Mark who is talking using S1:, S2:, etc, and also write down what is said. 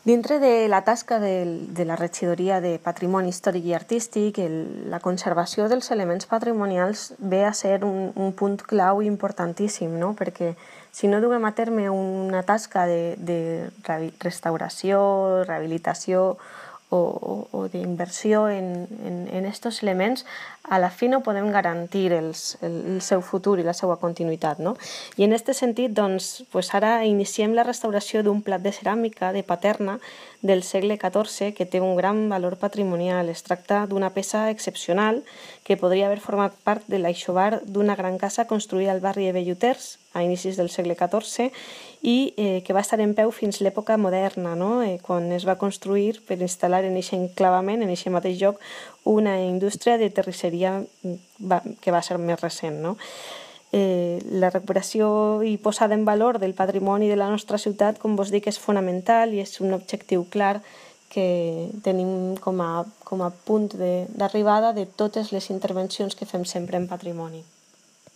S1: Dintre de la tasca de la Regidoria de Patrimoni Històric i Artístic, la conservació dels elements patrimonials ve a ser un punt clau importantíssim, no? Perquè si no duguem a terme una tasca de restauració, rehabilitació o d'inversió en estos elements, a la fi no podem garantir el seu futur i la seva continuïtat, no? I en aquest sentit, doncs, ara iniciem la restauració d'un plat de ceràmica de Paterna del segle XIV que té un gran valor patrimonial. Es tracta d'una peça excepcional que podria haver format part de l'aixovar d'una gran casa construïda al barri de Belluters a inicis del segle XIV i que va estar en peu fins l'època moderna, no? Quan es va construir per instal·lar en aquest enclavament, en aquest mateix lloc, una indústria de terrisseria que va ser més recent, no? La recuperació i posada en valor del patrimoni de la nostra ciutat, com vos dic, és fonamental i és un objectiu clar que tenim com a punt d'arribada de totes les intervencions que fem sempre en patrimoni.